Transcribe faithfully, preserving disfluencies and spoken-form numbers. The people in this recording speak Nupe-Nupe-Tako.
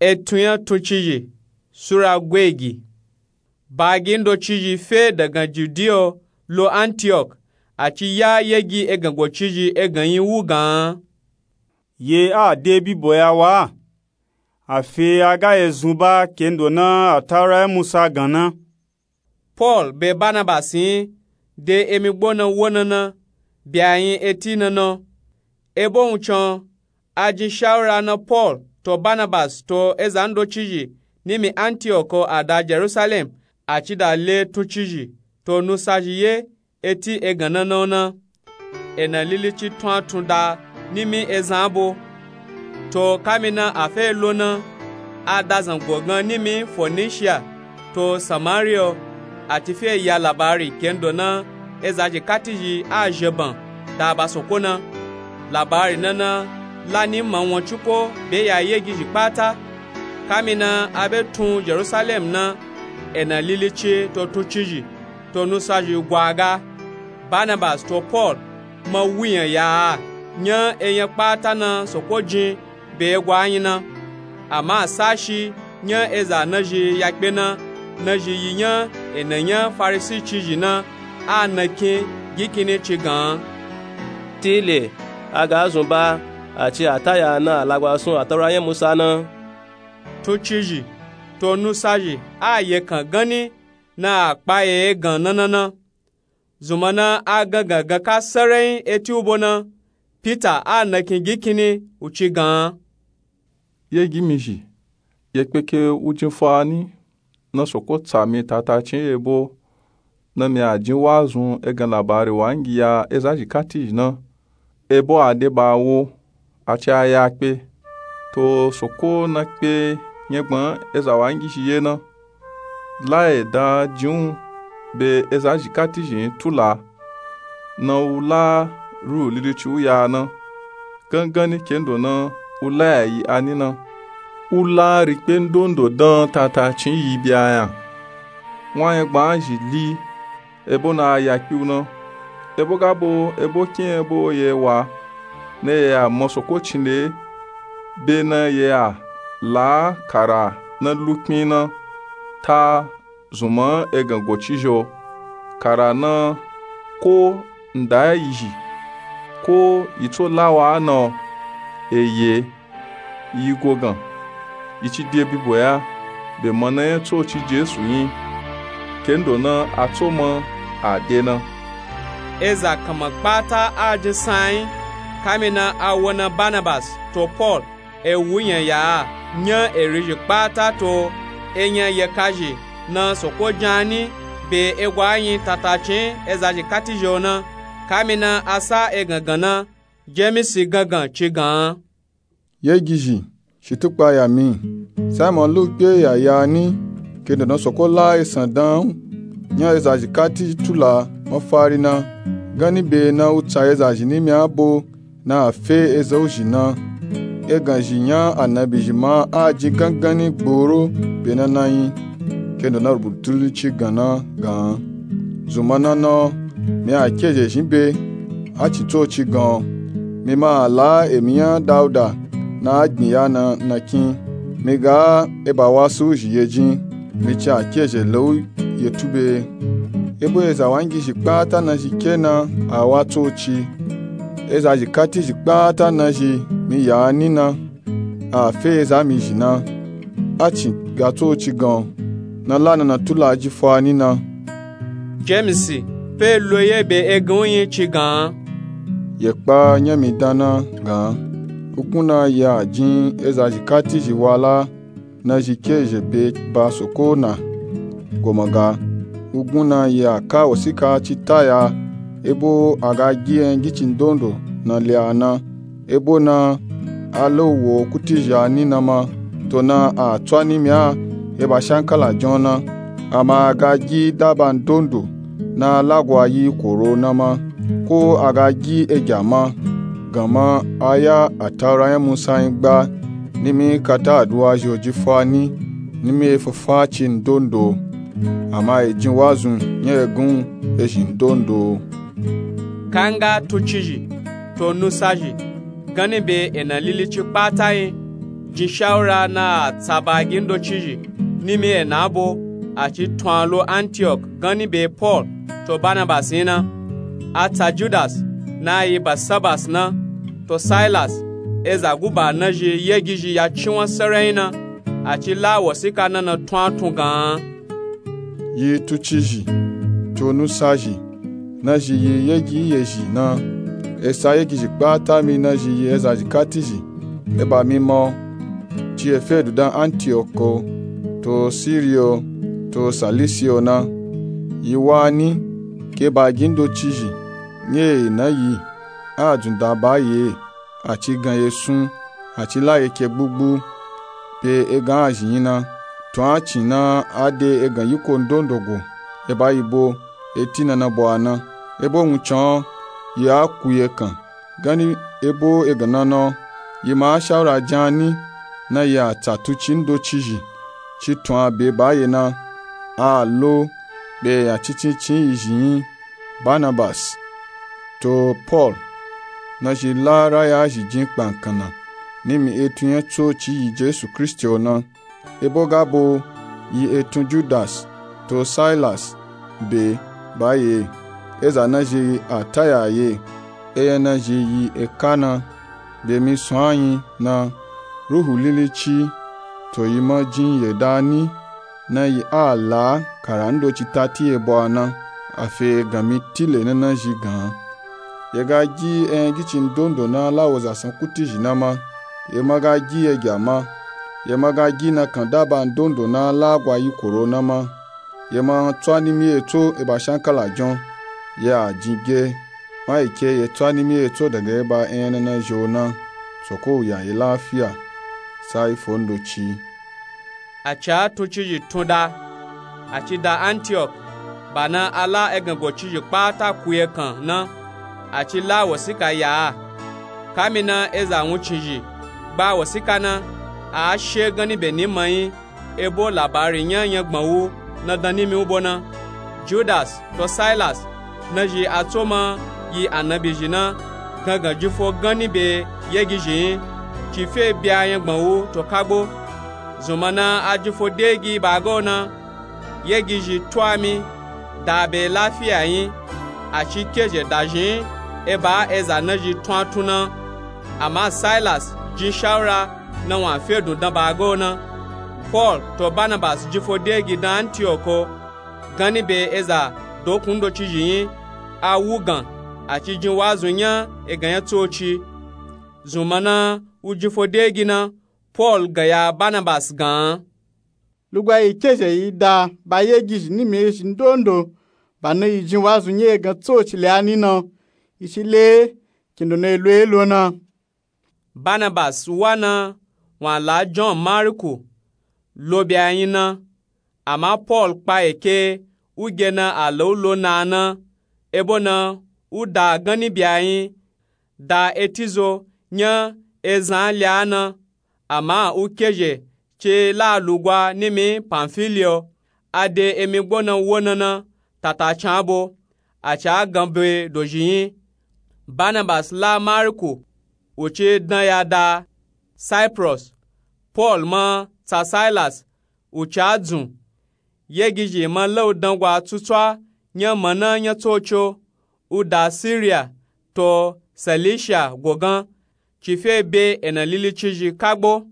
Etun nya tuncizhi sura gweegi. Baagi ndocizhi fe dagan judiya lo antiyok, a ci ya yegi egan gocizhi egan nyi wu gan. Ye a de bibo ya wa a fe a ga ye zun ba kendo na atawura nya musa gan na. Pol be banabasi nyi de emi gbo na wo na na, be a nyi eti na na. Ebo wuncin a jin shawura na pol to banabasi to eza ndocizhi nimi antiyok a da jerusalem, a ci da le tuncizhi to nusazhi ye eti egan na na na. Ena lilici tun a tun da nimi ezan abo. To kamina a fe lo na, a da zango gan nimi fonishiya to samariya, a ti fe ya labari kendo na ezazhi katizhi a zheban da ba soko na. Labari na na la ni ma won cuko be ya yegizhi kpata. Kamina a be tun jerusalem na, ena lilici to tuncizhi to nusazhi gwaga, banabasi to pol ma wuyan ya a nya enya kpata na soko jin be egwa nyi na. Ama sashi nya eza nazhi ya kpe na, nazhi yi nya ena nya farisicizhi na, a nakin ginkini ci gan. Tile a ga zun ba a ci a ta ya na alagwasun atawura nya musa na. Tuncizhi to nusazhi a yekan ganni na a kpa ye egan na na na. Zunma na a gangan gan ka sarai eti ubo na, pita a nakin ginkini u ci gan. Yegi mi zhi ye kpeke wu jin fani na soko tsa mi tatacin ebo na mi a jin wazun egan labari wangi ya ezazhi katizhi na. Ebo a de ba wo a ci a ya kpe to soko na kpe nyegban eza wangizhi ye na. La eda jin u be ezazhi katizhi nyi tula na u la ruhu lilici u ya na, ganganni kendo na u la ya yi ani na. U la rikpe ndondo dan tatacin yi be a nya. Wa nyegban zhi li ebo na a ya kpe u na. Ebo ga bo ebo kin ebo ye wa na ye a ma soko cinle be na ye a la kara na lukpin na ta zunma egan gocizhi o. Kara na ko nda ya yi zhi ko yi tso la wa na o. Eye yi gogan yi ci de bibo ya be mana nya tsoci jesu nyi kendo na a tso ma a de na. Eza kanma kpata a jin san nyi kamina a wo na banabasi to pol e wuyan ya a nya erizhi kpata to enya yekazhi na soko jin ani be egwa nyi tatacin ezazhi katizhi o na. Kamina a sa egangan na jemisi gangan ci gan. Yegizhi shitukpa ya mi. Simon lu kpe ya ya ani kendo na soko la esan dan u nya ezazhi kati tula mafari na ganni be na u tsa ezazhi nimi abo na a fe eza u zhi na. Eganzhi nya anabizhi ma a jin ganganni gboro be na na nyi kendo na rubutu li ci gan na gan. Zunma na na o mi a kezhe zhin be a cin tsoci gan o. Mi ma a la emi nya dauda na a gbin ya na nakin. Mi ga eba wasu u zhi ye jin mi ci a kezhe le u ye tu be. Ebo eza wangizhi kpata nazhi ke na a wa tsoci. Ezazhi katizhi kpata nazhi mi ya ani na a fe eza mi zhi na. A cin ga tsoci gan o na la na na tula ji fo ani na. Jemisi pe lo ye be egan u nyi ci gan. Yekpa nya mi dan na gan. Ugun na ye a jin ezazhi katizhi wala nazhi kezhe be ba soko na. Goma ga ugun na ye a ka wosika ci ta ya ebo a ga gi engici ndondo na le a na. Ebo na a la u wo kutizhi ani na ma to na a tso ani mi a eba shankala jin o na. Ama a ga gi daba ndondo na a lagwa yi koro na ma ko a ga gi egya ma. Gan ma a ya ataura nya musa nyi gba nimi kata aduwa zhi o ji fo ani nimi e fo fo a ci ndondo. Ama e jin wazun nya egan u e zhin ndondo. Kanga tuncizhi to nusazhi ganni be ena lilici kpata nyi jin shawura na a tsa baagi ndocizhi nimi e na bo, a ci tun a lo Antiok ganni be Pol to Banabasi nyi na. A tsa Judas na yi Basabasi na, to Sailas, eza guba nazhi yegizhi ya cinwan sarai na, a ci la wosika na na tun a tun gan. Yi tucizhi, to nusazhi, nazhi yi yegi yezhi na. Esa yegizhi kpata mi nazhi yi ezazhi katizhi, e ba mi mo, ci e fe du dan Antioko, to Sirio, to Salisio na. Yi wa ni, ke baagi ndocizhi nyi e na yi, a dzun da ba yi e, a ci gan yi esun, a ci la yi eke gbugbu, be egan azhi nyi na. Tun a cin na a de egan yiko ndondo go, e ba yi bo, e ti na na bo a na. E bo wuncin o, yi a ku yi ekan ganni e bo egan na na o. Yi ma a shawura jan ni, na yi a tsa tuci ndocizhi, ci tun a be ba yi e na. A lo be eya cincincin yizhi nyi, Banabasi to Pol, nazhi la raya zhi jin kpankan na nimi etun nya tsoci yi Jesu Kristi o na. E bo ga bo yi etun Judas to Sailas be ba yi e, eza nazhi a taya yi e, eya nazhi yi eka na, be mi sun a nyi na, Ruhu Lilici, to yi ma jin yeda ni, na yi a la kara ndoci tati e bo a na, a fe egan mi tile na nazhi gan. Ye ga gi eyan gici ndondo na la wo zasan kutizhi na ma, ye ma ga gi yegi a ma, ye ma ga gi nakan daba ndondo na la gwa yikoro na ma, ye ma tso a nimi etso e ba shankala jon, ye a jin ge, ma yi ke ye tso a nimi etso dagba eyan na nazhi o na. Soko u ya yi lafiya, sa yi fo ndoci. A ci a tucizhi tun da, a ci da Antiok, ba na a la egan gocizhi kpata ku yi ekan na, a ci la wosika ya a. Kami na eza wuncin zhi gba wosika na, a a she ganni be ni ma nyi, e bo labari nya nyangban wu na dan nimi u bo na. Judas to Sailas, nazhi a tso ma yi anabizhi na, gangan jin fo ganni be yegizhi nyi, ci fe bya nyangban wu to kagbo. Zunma na a jin fo degi ba ga o na, yegizhi tu a mi da be lafiya nyi, a ci kezhe dazhi nyi e ba eza nazhi tun a tun na. Ama Sailas jin shawura na wun a fe dun dan ba ga o na. Pol to Banabasi jin fo degi dan Antioko ganni be eza dokun ndocizhi nyi, a wugan, a ci jin wazu nya egan nya tsoci. Zunma na u jin fo degi na, Pol gan ya Banabasi gan. Lugba yi kezhe yi da ba yegizhi nimi ezhi ndondo, ba na yi jin wazu nya egan tsoci le a ni na, yi ci le, kindo na yi lo e lo na. Banabasi wa na, wun a la Jon Mariku lo be a nyi na. Ama Pol kpa eke u ge na a la u lo na a na, e bo na u da ganni be a nyi, da eti zo nya ezan le a na. Ama u kezhe ci la lugwa nimi Pamfiliya, a de emi gbo na wo na na, tata can a bo, a ci a gan be dozhi nyi. Banabasi la Mariku, u ci dan ya da Saipros. Pol ma tsa Sailas, u ci a dzun. Yegizhi ma la u dangwa tsutswa nya mana nya tsoci o, u da Siriya to Silishiya gogan, ci fe be ena lilicizhi kagbo.